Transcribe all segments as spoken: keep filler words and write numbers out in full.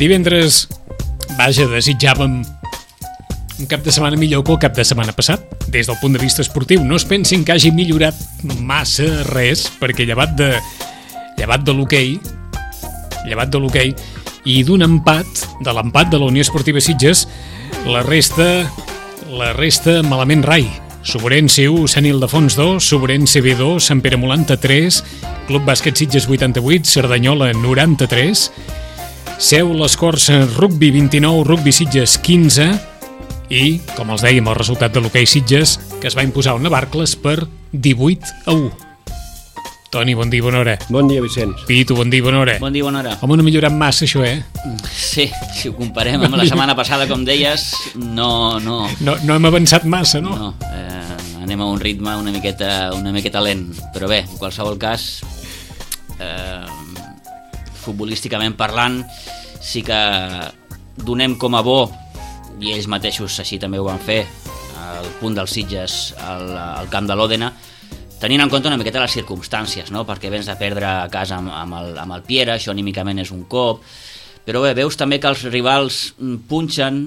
Divendres, vaja, desitjàvem un cap de setmana millor que el cap de setmana passat. Des del punt de vista esportiu, no es pensin que hagi millorat massa res, perquè llevat de, llevat de l'hoquei, llevat de l'hoquei, i d'un empat, de l'empat de la Unió Esportiva Sitges, la resta, la resta malament rai. Sobrense u, Sant Ildefons dos, Sobrense B dos, Sant Pere Molanta tres, Club Bàsquet Sitges vuitanta-vuit, Cerdanyola noranta-tres, Seu Les Corts Rugby vint-i-nou, Rugby Sitges quinze i, com els dèiem, el resultat de l'hoquei Sitges, que es va imposar a Navarcles per divuit a u. Toni, bon dia, bona hora. Bon dia, Vicenç. Pitu, bon dia, bona hora. Bon dia, bona hora. Home, no ha millorat massa, això, eh? Sí, si ho comparem amb la setmana passada, com deies, no... No, no, no hem avançat massa, no? No, eh, anem a un ritme una miqueta, una miqueta lent. Però bé, en qualsevol cas, eh, futbolísticament parlant, sí que donem com a bo, i ells mateixos així també ho van fer, el punt dels Sitges al, al camp de l'Òdena, tenint en compte una miqueta les circumstàncies, no? Perquè vens de perdre a casa amb, amb, el, amb el Piera, això anímicament és un cop, però bé, veus també que els rivals punxen,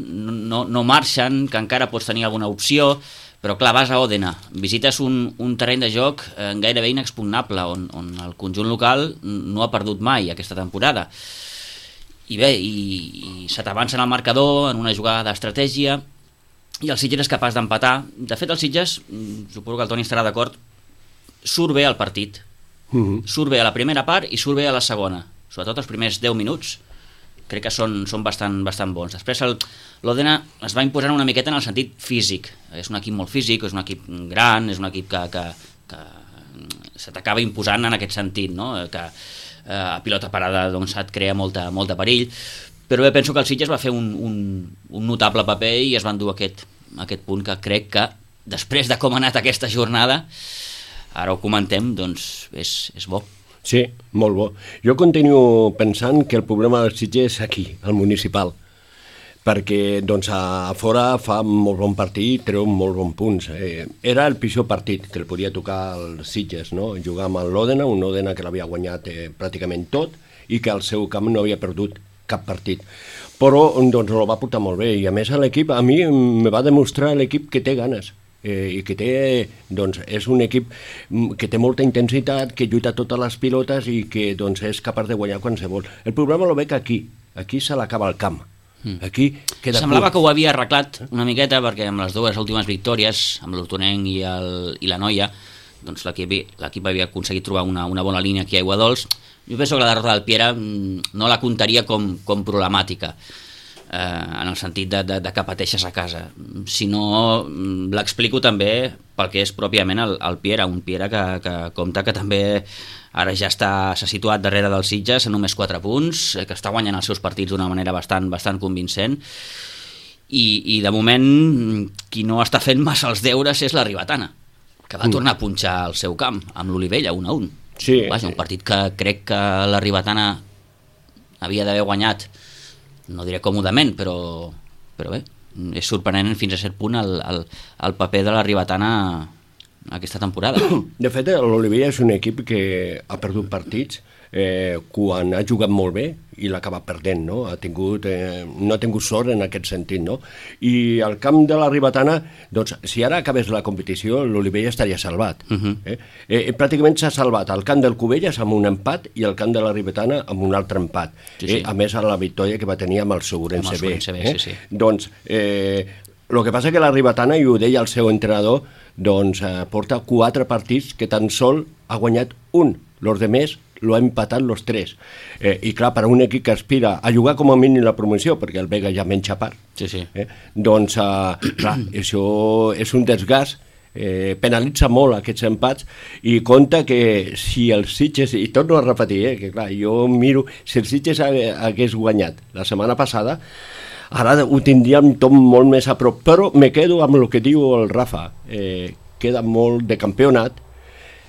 no, no marxen, que encara pots tenir alguna opció, però clar, vas a Òdena, visites un, un terreny de joc eh, gairebé inexpugnable, on, on el conjunt local no ha perdut mai aquesta temporada. I bé, i, i se t'avança en el marcador en una jugada d'estratègia, i el Sitges és capaç d'empatar. De fet, el Sitges, suposo que el Toni estarà d'acord, surt bé al partit, uh-huh. Surt bé a la primera part i surt bé a la segona, sobretot els primers deu minuts crec que són, són bastant, bastant bons. Després l'Òdena es va imposant una miqueta en el sentit físic, és un equip molt físic, és un equip gran, és un equip que, que, que se t'acaba imposant en aquest sentit, no? Que eh, a pilota parada doncs, et crea molta, molta perill, però bé, penso que el Sitges va fer un, un, un notable paper i es van dur aquest, aquest punt que crec que després de com ha anat aquesta jornada, ara ho comentem, doncs és, és bo. Sí, molt bo. Jo continuo pensant que el problema del Sitges és aquí, al municipal, perquè doncs, a fora fa molt bon partit, treu molt bons punts. Eh, era el pitjor partit que el podia tocar als Sitges, no? Jugar amb l'Òdena, un Òdena que l'havia guanyat eh, pràcticament tot i que al seu camp no havia perdut cap partit. Però doncs, el va portar molt bé i a més l'equip, a mi me va demostrar l'equip que té ganes. Eh, i que té, doncs, és un equip que té molta intensitat, que lluita totes les pilotes i que doncs, és capaç de guanyar qualsevol. El problema lo veig aquí, aquí se l'acaba el camp. Aquí queda semblava curt. Que ho havia arreglat una miqueta perquè amb les dues últimes victòries, amb l'Hortonenc i, el, i la Noia, doncs l'equip havia aconseguit trobar una, una bona línia aquí a Aiguadols. Jo penso que la derrota del Piera no la comptaria com, com problemàtica, eh, en el sentit de, de, de que pateixes a casa, sinó l'explico també pel que és pròpiament el, el Piera, un Piera que, que compta que també ara ja està, s'ha situat darrere dels Sitges a només quatre punts, que està guanyant els seus partits d'una manera bastant, bastant convincent, i, i de moment qui no està fent massa els deures és la Ribetana, que va tornar a punxar al seu camp amb l'Olivella un a un. Sí. Vaja, un partit que crec que la Ribetana havia d'haver guanyat, no diré còmodament, però, però bé, és sorprenent fins a cert punt el, el, el paper de la Ribetana aquesta temporada. De fet, l'Olivella és un equip que ha perdut partits eh, quan ha jugat molt bé i l'ha acabat perdent, no? Ha tingut, eh, no ha tingut sort en aquest sentit, no? I al camp de la Ribetana, doncs, si ara acabés la competició, l'Olivella estaria salvat. Uh-huh. eh? Eh, pràcticament s'ha salvat al camp del Cubelles amb un empat i al camp de la Ribetana amb un altre empat. Sí, sí. Eh? A més, a la victòria que va tenir amb el Segurense B. Eh? Sí, sí. Doncs, eh, el que passa que la Ribetana, i ho deia el seu entrenador, doncs eh, porta quatre partits que tan sol ha guanyat un. Los demés lo ha empatat los tres. Eh, I clar, per a un equip que aspira a jugar com a mínim la promoció, perquè el Vega ja menja part, sí, sí. Eh, doncs, eh, clar, això és un desgast, eh, penalitza molt aquests empats i compta que si el Sitges, i torno a repetir, eh, que clar, jo miro, si el Sitges hagués guanyat la setmana passada, ara ho tindríem tot molt més a prop, però me quedo amb el que diu el Rafa, eh, queda molt de campionat.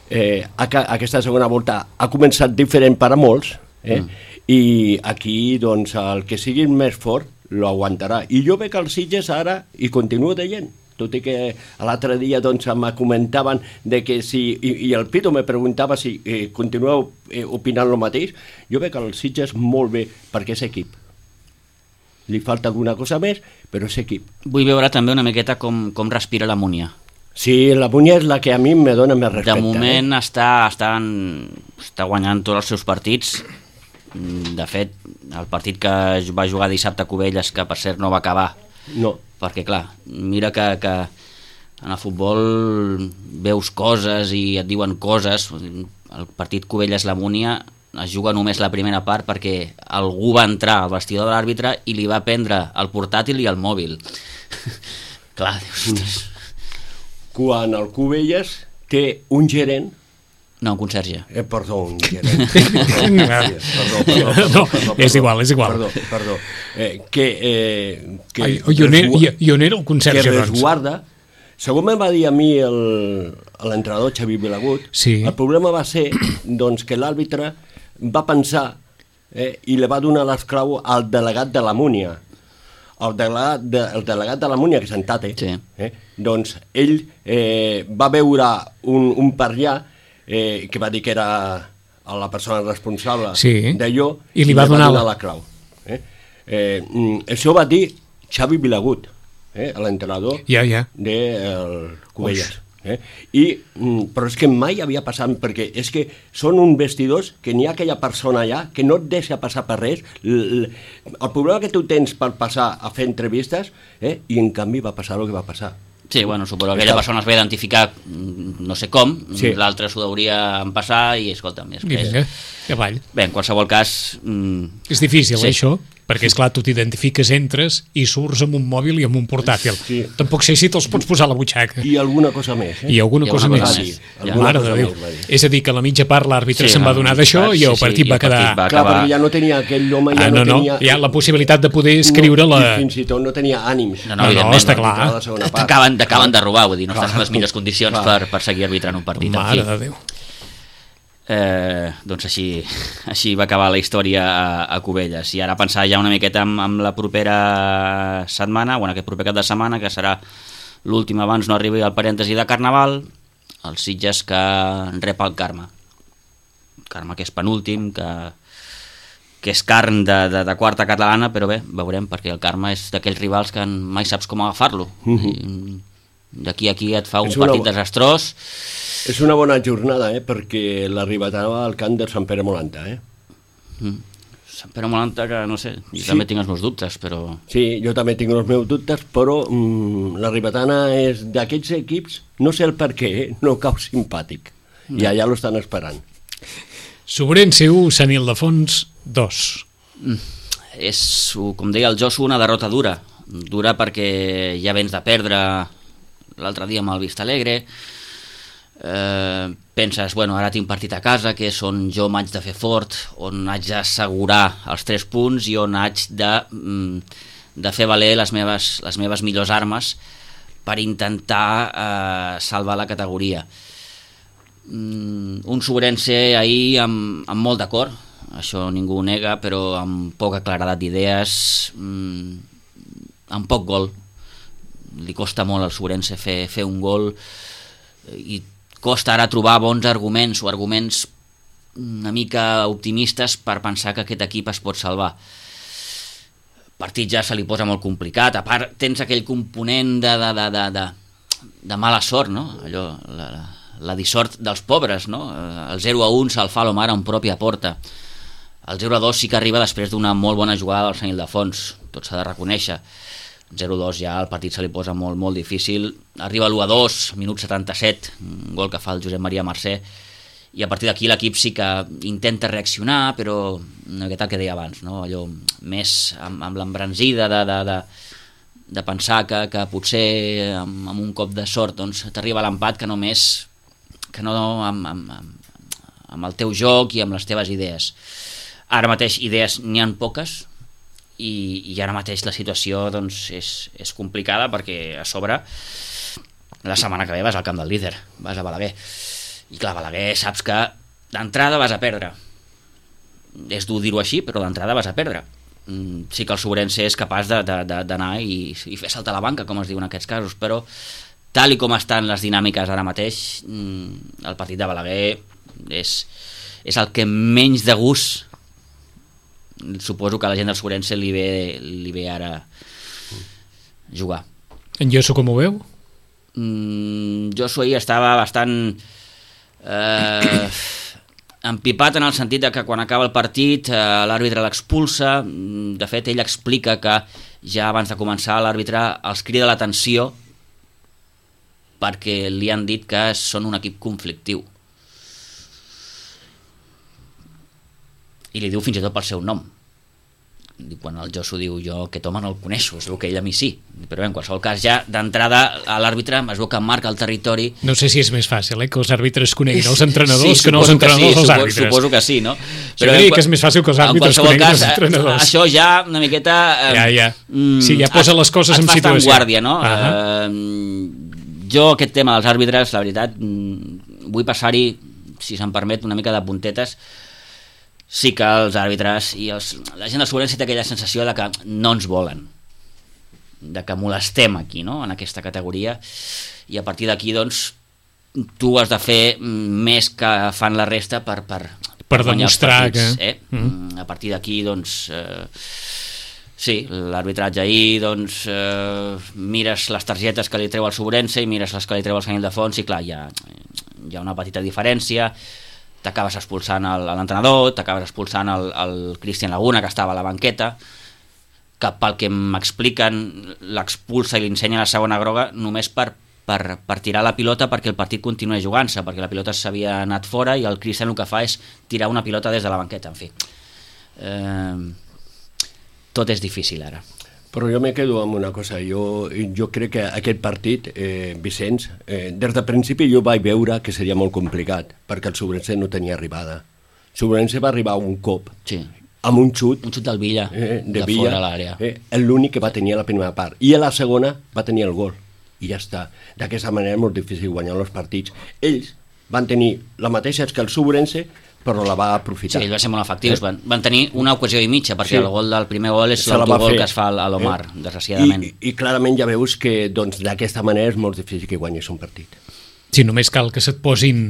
Eh, aquesta segona volta ha començat diferent per a molts, eh? mm. i aquí doncs, el que sigui més fort lo aguantarà, i jo veig el Sitges ara i continuo deient, tot i que l'altre dia doncs, me comentaven de que si, i, i el Pito me preguntava si eh, continueu eh, opinant el mateix, jo veig el Sitges molt bé perquè és equip. li falta alguna cosa més, però és equip. Vull veure també una miqueta com, com respira la Múnia. Sí, la Múnia és la que a mi me dona més respecte. De moment eh? està, està, en, està guanyant tots els seus partits. De fet, el partit que va jugar dissabte a Cubelles, que per cert no va acabar, no. perquè clar, mira que, que en el futbol veus coses i et diuen coses. El partit Cubelles-La Múnia es juga només la primera part perquè algú va entrar al vestidor de l'àrbitre i li va prendre el portàtil i el mòbil. Clar, dius... Quan el Cubelles té un gerent... No, un conserge. Eh, perdó, un gerent. perdó, perdó, perdó, no, perdó, és igual, és igual. Perdó, perdó. Eh, que... Eh, que Ai, jo n'era el conserge, que doncs. resguarda... Segons em va dir a mi l'entrenador Xavi Vilagut, sí. El problema va ser doncs, que l'àrbitre va pensar eh, i li va donar l'esclau al delegat de la Múnia. El delegat de, el delegat de la Múnia, que és en Tate, sí. eh, doncs ell eh, va veure un, un per allà eh, que va dir que era la persona responsable sí. d'allò i li va, li donar, va donar la clau. Eh? Eh, això va dir Xavi Vilagut, eh, l'entrenador ja, ja. del Cubelles. Eh? I, però és que mai havia passat, perquè és que són uns vestidors que n'hi ha aquella persona allà que no et deixa passar per res. El, el problema que tu tens per passar a fer entrevistes, eh? I en canvi va passar el que va passar. Sí, bueno, suposo que aquella persona es va identificar no sé com, sí. L'altre s'ho hauria en passar i escolta'm, és que vinga, que avall. Bé, en qualsevol cas... Mmm... És difícil, sí. Això, perquè, esclar, tu t'identifiques, entres i surts amb un mòbil i amb un portàtil. Sí. Tampoc sé si te'ls pots posar a la butxaca. I alguna cosa més. Eh? I alguna, I cosa, alguna cosa més. més. Ja. Mare de Déu. És a dir, que a la mitja part l'àrbitre sí, se'n va donar d'això sí, i el partit sí, va quedar... Partit va Clar, perquè ja no tenia aquell home, ja ah, no, no tenia... Ja la possibilitat de poder escriure no, la... Fins i tot no tenia ànims. No, no, no, no està clar. T'acaben de robar, vull dir, no estàs en les millors condicions per, per seguir arbitrant un partit. Mare de Déu. Eh, doncs així, així va acabar la història a, a Cubelles, i ara pensar ja una miqueta amb, amb la propera setmana, bueno, aquest proper cap de setmana, que serà l'últim abans no arribi al parèntesi de Carnaval, els Sitges que rep el Carme Carme que és penúltim, que, que és carn de, de, de quarta catalana, però bé, veurem, perquè el Carme és d'aquells rivals que mai saps com agafar-lo. Mm-hmm. D'aquí a aquí et fa un una... partit desastrós. És una bona jornada, eh? Perquè la Ribetana al camp de Sant Pere Molanta, eh? Mm. Sant Pere Molanta, que no sé, jo sí. també tinc els meus dubtes, però... Sí, jo també tinc els meus dubtes, però mm, la Ribetana és d'aquests equips, no sé el per què, eh? No cau simpàtic. No. I allà l'estan esperant. Sobrense u, Sant Ildefons dos. Mm. És, com deia el Josu, una derrota dura. Dura perquè ja vens de perdre l'altre dia amb el Vistalegre. Eh, penses, bueno, ara tinc partit a casa, que és on jo m'haig de fer fort, on haig d'assegurar els tres punts i on haig de, de fer valer les meves, les meves millors armes per intentar eh, salvar la categoria. Un Sobrense ahir amb, amb molt d'acord, això ningú ho nega, però amb poca claredat d'idees, amb poc gol. Li costa molt al Sobrense fer, fer un gol i costa ara trobar bons arguments o arguments una mica optimistes per pensar que aquest equip es pot salvar. El partit ja se li posa molt complicat, a part tens aquell component de, de, de, de, de, de mala sort, no? Allò, la, la dissort dels pobres, no? El zero a un se'l fa a l'Omar en pròpia porta. El zero a dos sí que arriba després d'una molt bona jugada del Sant Ildefons, tot s'ha de reconèixer. zero a dos ja el partit se li posa molt, molt difícil. Arriba l'u a dos, minut setanta-set, un gol que fa el Josep Maria Mercè, i a partir d'aquí l'equip sí que intenta reaccionar, però no és el que deia abans, no? Allò més amb, amb l'embranzida de, de, de, de pensar que, que potser amb, amb un cop de sort doncs, t'arriba l'empat que només que no amb, amb, amb, amb el teu joc i amb les teves idees. Ara mateix idees n'hi ha poques, I, i ara mateix la situació doncs, és, és complicada perquè a sobre la setmana que ve vas al camp del líder, vas a Balaguer, i clar, Balaguer saps que d'entrada vas a perdre, és dur dir-ho així, però d'entrada vas a perdre. Sí que el Sobrense és capaç d'anar i, i fer saltar la banca, com es diu en aquests casos, però tal i com estan les dinàmiques ara mateix, el partit de Balaguer és, és el que menys de gust suposo que a la gent del Sobrense li ve, li ve ara jugar. En Josu com ho veu? Mm, Josu ahir estava bastant eh, empipat en el sentit de que quan acaba el partit eh, l'àrbitre l'expulsa. De fet, ell explica que ja abans de començar l'àrbitre els crida l'atenció perquè li han dit que són un equip conflictiu. I li diu fins i tot pel seu nom. Quan el Josu diu jo aquest home no el coneixo, es veu que ell a mi sí, però bé, en qualsevol cas ja d'entrada a l'àrbitre es veu que marca el territori. No sé si és més fàcil, eh, que els àrbitres coneguin els entrenadors sí, que no els entrenadors sí, els suposo, àrbitres. Suposo que sí, no? Però jo diria que és més fàcil que els àrbitres coneguin cas, els entrenadors. Això ja una miqueta eh, ja, ja. Sí, ja posa les coses en situació. Et fa en guàrdia, no? Uh -huh. eh, jo aquest tema dels àrbitres, la veritat, vull passar-hi, si se'm permet, una mica de puntetes. Sí que els àrbitres i els, la gent del Sobrense té aquella sensació de que no ens volen, de que molestem aquí, no?, en aquesta categoria, i a partir d'aquí doncs tu has de fer més que fan la resta per, per, per, per demostrar que... eh? Mm. A partir d'aquí doncs eh, sí, l'arbitratge ahir doncs eh, mires les targetes que li treu el Sobrense i mires les que li treu el Sant Ildefons i clar, hi ha, hi ha una petita diferència. T'acabes expulsant l'entrenador, t'acabes expulsant el, el Cristian Laguna, que estava a la banqueta, que pel que m'expliquen l'expulsa i li ensenya la segona groga només per, per, per tirar la pilota perquè el partit continuï jugant-se, perquè la pilota s'havia anat fora i el Cristian el que fa és tirar una pilota des de la banqueta. En fi, eh, tot és difícil ara. Però jo me quedo amb una cosa, jo, jo crec que aquest partit, eh, Vicenç, eh, des de principi jo vaig veure que seria molt complicat, perquè el Sobrense no tenia arribada. El Sobrense va arribar un cop, sí, amb un xut, un xut del Villa, eh, de, de Villa, fora a l'àrea. Eh, l'únic que va tenir a la primera part, i a la segona va tenir el gol, i ja està. D'aquesta manera és molt difícil guanyar els partits. Ells van tenir la mateixa que el Sobrense, però la va aprofitar. Sí, ells van ser molt efectius, eh? van, van tenir una ocasió i mitja, perquè sí, el gol del primer gol és se la l'autogol que es fa a l'Omar, eh? desgraciadament. I, I clarament ja veus que doncs, d'aquesta manera és molt difícil que guanyis un partit. Sí, només cal que se't posin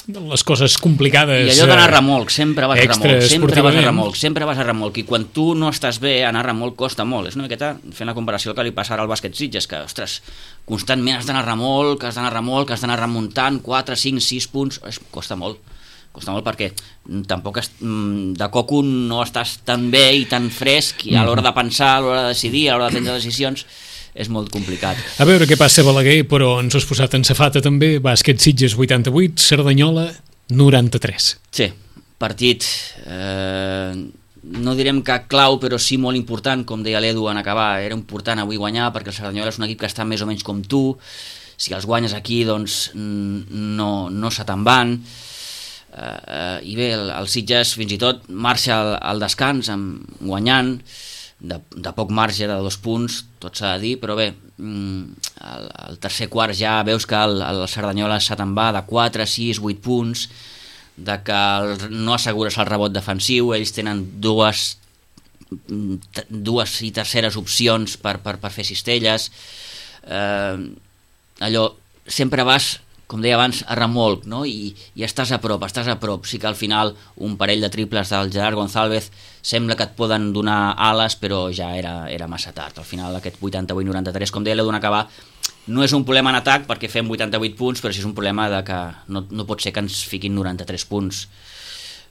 les coses complicades. I allò d'anar a remolc, sempre vas a extra remolc, sempre vas a esportivament. remolc, sempre vas a remolc, i quan tu no estàs bé, anar a remolc costa molt. És una miqueta fent la comparació que li passa ara al bàsquet Sitges, que, ostres, constantment has d'anar a remolc, has d'anar a remolc, has d'anar remuntant quatre, cinc, sis punts, es, costa molt. Costa molt perquè tampoc es, de coco no estàs tan bé i tan fresc i a l'hora de pensar, a l'hora de decidir, a l'hora de prendre decisions és molt complicat. A veure què passa a Balaguer, però ens has posat en safata també. Bàsquet Sitges vuitanta-vuit, Cerdanyola noranta-tres. Sí, partit eh, no direm que clau, però sí molt important, com deia l'Edu en acabar. Era important avui guanyar perquè el Cerdanyola és un equip que està més o menys com tu, si els guanyes aquí doncs no, no se te'n van. Uh, uh, i bé, el, el Sitges fins i tot marxa al, al descans amb, guanyant de, de poc marge, de dos punts, tot s'ha de dir, però bé, mm, el, el tercer quart ja veus que el, el Cerdanyola se te'n va de quatre, sis, vuit punts, de que el, no assegures el rebot defensiu, ells tenen dues dues i terceres opcions per, per, per fer cistelles, uh, allò, sempre vas, com deia abans, a remolc, no? I, i estàs a prop, estàs a prop. Sí que al final un parell de triples del Gerard González sembla que et poden donar ales, però ja era, era massa tard. Al final aquest vuitanta-vuit noranta-tres, com deia l'Edu en acabar, no és un problema en atac perquè fem vuitanta-vuit punts, però sí és un problema de que no, no pot ser que ens fiquin noranta-tres punts.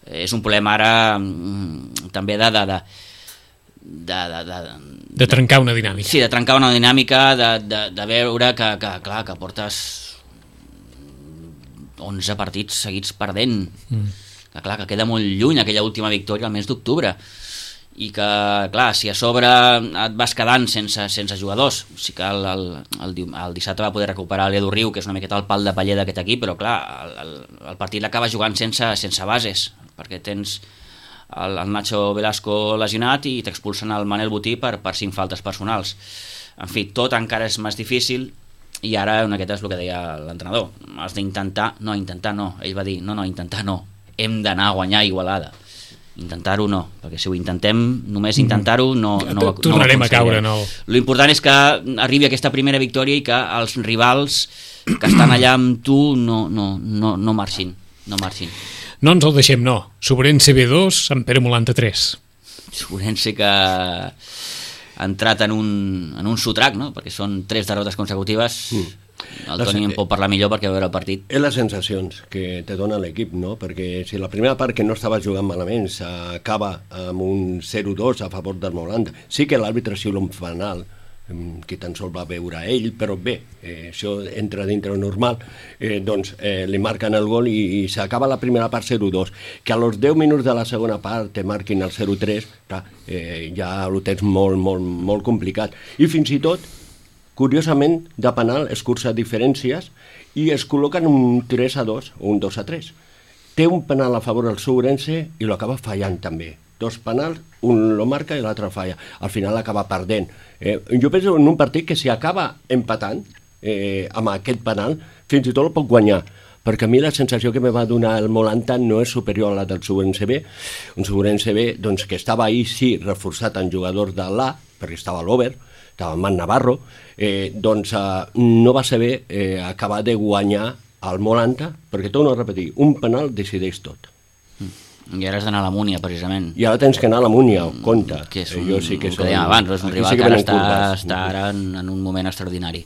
És un problema ara mm, també de... de, de De, de, de, de trencar una dinàmica. Sí, de trencar una dinàmica, de, de, de veure que, que, clar, que portes onze partits seguits perdent, mm. que clar, que queda molt lluny aquella última victòria al mes d'octubre, i que, clar, si a sobre et vas quedant sense, sense jugadors, sí que el, el, el, el dissabte va poder recuperar l'Edu Riu, que és una miqueta el pal de paller d'aquest equip, però clar, el, el, el partit l'acaba jugant sense, sense bases, perquè tens el, el Nacho Velasco lesionat i t'expulsen el Manel Botí per, per cinc faltes personals. En fi, tot encara és més difícil, i ara una miqueta és el que deia l'entrenador, has d'intentar, no, intentar no, ell va dir, no, no, intentar no, hem d'anar a guanyar Igualada, intentar-ho no, perquè si ho intentem, només intentar-ho no, no, no tornarem a caure, no. L'important és que arribi aquesta primera victòria i que els rivals que estan allà amb tu no, no, no, no marxin, no marxin. No ens el deixem, no. Sobrense B dos, Sant Pere Molanta tres. Ourense que ha entrat en un, en un sotrac, no? Perquè són tres derrotes consecutives. Mm. El Toni en pot parlar millor perquè va veure el partit. És les sensacions que te dona l'equip, no? Perquè si la primera part, que no estava jugant malament, s'acaba amb un zero dos a favor del Molanda, sí que l'àrbitre xiula un penal, que tan sols va veure ell, però bé, eh, això entra dintre normal, eh, doncs eh, li marquen el gol i, i s'acaba la primera part zero dos, que a los deu minuts de la segona part te marquin el zero tres, clar, eh, ja ho tens molt, molt, molt complicat. I fins i tot, curiosament, de penal es cursa diferències i es col·loquen un tres a dos o un dos a tres. Té un penal a favor del Ourense i lo acaba fallant també. Dos penals, un lo marca i l'altre falla. Al final acaba perdent. Eh, jo penso en un partit que si acaba empatant eh, amb aquest penal, fins i tot el pot guanyar, perquè a mi la sensació que me va donar el Molanta no és superior a la del Ourense B. Un Ourense B doncs, que estava ahir, sí, reforçat en jugadors de l'A, perquè estava l'Over, estava en Man Navarro, eh, doncs eh, no va saber eh, acabar de guanyar al Molanta, perquè torno a repetir, un penal decideix tot. I ara has d'anar a la Múnia, precisament. I ara tens que anar a la Múnia, compte. Que és un, jo sí que que dèiem abans, és un rival sí que que ara està, curves. està ara en, en un moment extraordinari.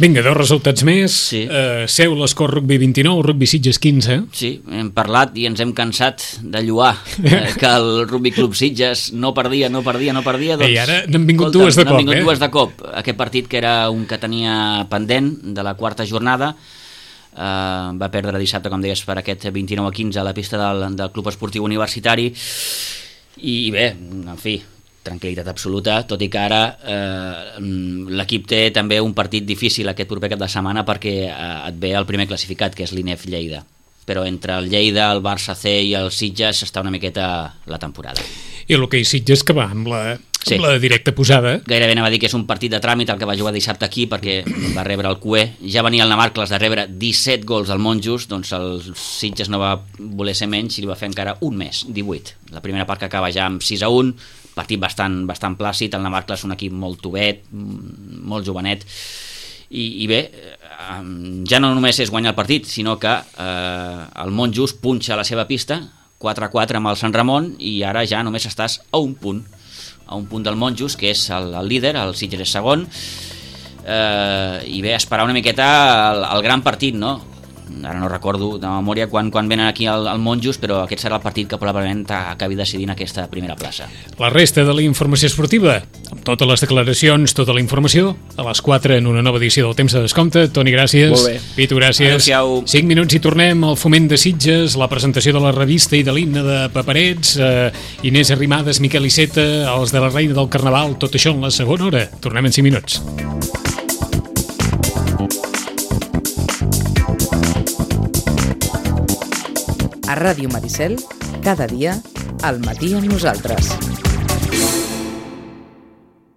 Vinga, dos resultats més. Sí. Uh, Seu, l'Escor Rugby vint-i-nou, Rugby Sitges quinze. Sí, hem parlat i ens hem cansat de lluar eh, que el Rugby Club Sitges no perdia, no perdia, no perdia. Doncs, I ara n'han vingut escolta, dues de cop, n'han vingut eh? dues de cop. Aquest partit que era un que tenia pendent de la quarta jornada, Uh, va perdre dissabte, com deies, per aquest vint-i-nou a quinze a la pista del, del Club Esportiu Universitari i, i bé, en fi, tranquil·litat absoluta, tot i que ara eh, l'equip té també un partit difícil aquest proper cap de setmana perquè eh, et ve el primer classificat, que és l'I N E F Lleida, però entre el Lleida, el Barça C i el Sitges està una miqueta la temporada. I l'hoquei Sitges que va amb la, Sí. amb la directa posada. Gairebé anava a dir que és un partit de tràmit el que va jugar dissabte aquí perquè va rebre el Q E. Ja venia el Navarcles de rebre disset gols al Monjos, doncs el Sitges no va voler ser menys i li va fer encara un més, divuit. La primera part que acaba ja amb sis a un, partit bastant, bastant plàcid, el Navarcles un equip molt tovet, molt jovenet, i, i bé, ja no només és guanyar el partit, sinó que eh, el Monjos punxa a la seva pista, quatre a quatre amb el Sant Ramon, i ara ja només estàs a un punt, a un punt del Monjos, que és el, el líder, el Sitges és segon, eh, i bé, esperar una miqueta el, el gran partit, no? Ara no recordo de memòria quan, quan venen aquí al, al Monjos, però aquest serà el partit que probablement acabi decidint aquesta primera plaça. La resta de la informació esportiva, amb totes les declaracions, tota la informació, a les quatre en una nova edició del Temps de Descompte. Toni, gràcies. Molt bé. Pitu, gràcies. Adéu-siau. Cinc minuts i tornem al Foment de Sitges, la presentació de la revista i de l'himne de Paperets, eh, Inés Arrimadas, Miquel Iceta, els de la Reina del Carnaval, tot això en la segona hora. Tornem en cinc minuts. A Ràdio Maricel, cada dia, al matí amb nosaltres.